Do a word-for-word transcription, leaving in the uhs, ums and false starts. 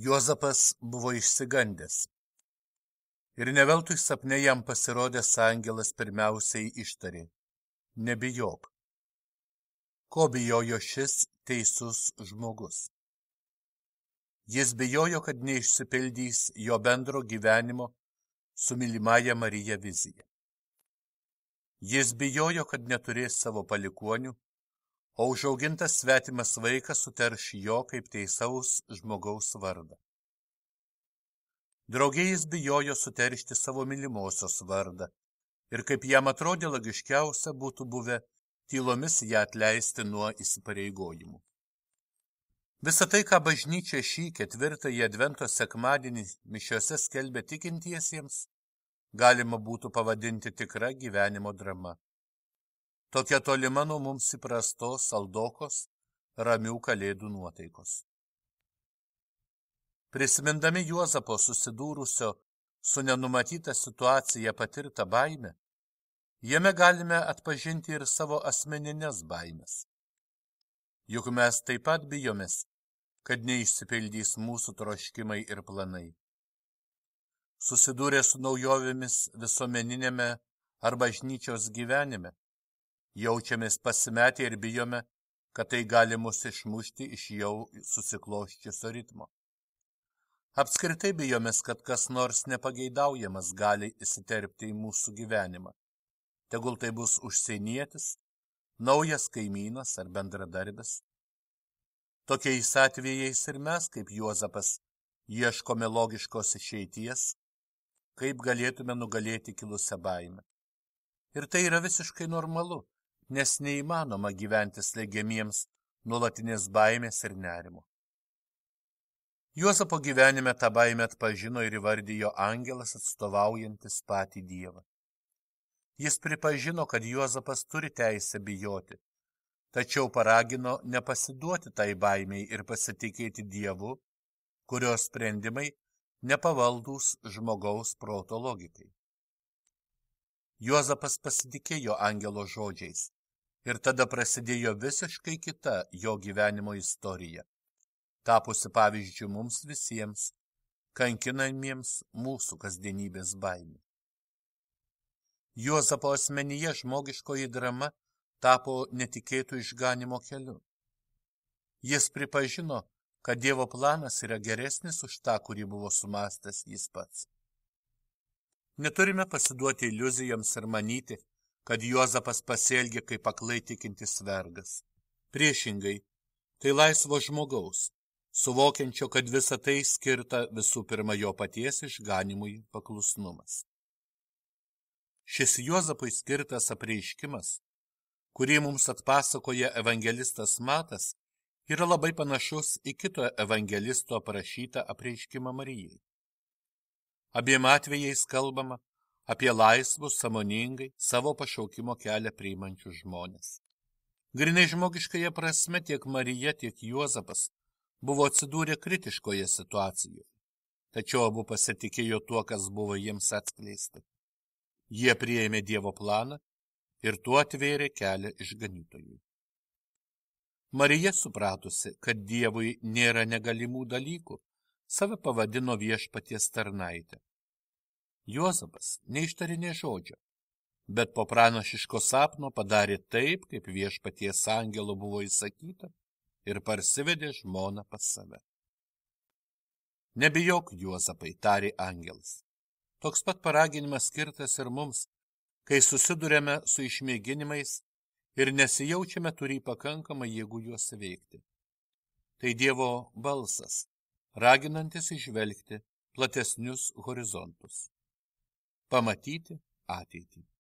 Juozapas buvo išsigandęs. Ir ne veltui sapne jam pasirodęs angelas pirmiausiai ištarė: nebijok. Ko bijojo šis teisus žmogus? Jis bijojo, kad neišsipildys jo bendro gyvenimo su mylimąja Marija vizija. Jis bijojo, kad neturės savo palikuonių, o užaugintas svetimas vaikas suterš jo kaip teisaus žmogaus vardą. Drauge jis bijojo suteršti savo mylimosios vardą ir kaip jam atrodė logiškiausia būtų buvę tylomis ją atleisti nuo įsipareigojimų. Visą tai, ką bažnyčia šį ketvirtąjį advento sekmadienį mišiose skelbia tikintiesiems, galima būtų pavadinti tikra gyvenimo drama. Tokia tolima nuo mums įprastos saldokos, ramių kalėdų nuotaikos. Prisimindami Juozapo susidūrusio su nenumatyta situacija patirtą baimę, jame galime atpažinti ir savo asmeninės baimės. Juk mes taip pat bijomės, kad neišsipildys mūsų troškimai ir planai. Susidūrę su naujovėmis visuomeninėme ar bažnyčios gyvenime, jaučiamės pasimetę ir bijome, kad tai gali mus išmušti iš jau susikloščiusio ritmo. Apskritai bijomės, kad kas nors nepageidaujamas gali įsiterpti į mūsų gyvenimą. Tegul tai bus užsienietis, naujas kaimynas ar bendradarbis. Tokiais atvejais ir mes, kaip Juozapas, ieškome logiškos išeities, kaip galėtume nugalėti kilusią baimę. Ir tai yra visiškai normalu, nes neįmanoma gyventi slegiamiems nuolatinės baimės ir nerimo. Juozapo gyvenime tą baimę atpažino ir įvardijo angelas atstovaujantis patį Dievą. Jis pripažino, kad Juozapas turi teisę bijoti, tačiau paragino nepasiduoti tai baimiai ir pasitikėti Dievu, kurios sprendimai nepavaldūs žmogaus proto logikai. Juozapas pasitikėjo angelo žodžiais ir tada prasidėjo visiškai kita jo gyvenimo istorija, tapusi pavyzdžių mums visiems, kankinamiems mūsų kasdienybės baimė. Juozapo asmenyje žmogiškoji drama tapo netikėtų išganimo keliu. Jis pripažino, kad Dievo planas yra geresnis už tą, kurį buvo sumastęs jis pats. Neturime pasiduoti iliuzijoms ir manyti, kad Juozapas pasielgė kaip aklai tikintis vergas. Priešingai, tai laisvo žmogaus, suvokiančio, kad visa tai skirta visų pirma jo paties išganimui paklusnumas. Šis Juozapui skirtas apreiškimas, kurį mums atpasakoja evangelistas Matas, yra labai panašus į kito evangelisto aprašytą apreiškimą Marijai. Abiem atvejais kalbama apie laisvus, sąmoningai savo pašaukimo kelią priimančius žmonės. Grinai žmogiškąja prasme tiek Marija, tiek Juozapas buvo atsidūrę kritiškoje situacijoje, tačiau abu pasitikėjo tuo, kas buvo jiems atskleista. Jie priėmė Dievo planą ir tuo atvėrė kelią išganytojui. Marija, supratusi, kad Dievui nėra negalimų dalykų, save pavadino viešpaties tarnaitę. Juozapas neištarė nė žodžio, bet po pranašiško sapno padarė taip, kaip viešpaties angelo buvo įsakyta, ir parsivedė žmoną pas save. Nebijok, Juozapai, tarė angelas. Toks pat paraginimas skirtas ir mums, kai susidurėme su išmėginimais ir nesijaučiame turį pakankamą jėgų juos įveikti. Tai Dievo balsas, raginantis įžvelgti platesnius horizontus, pamatyti ateitį.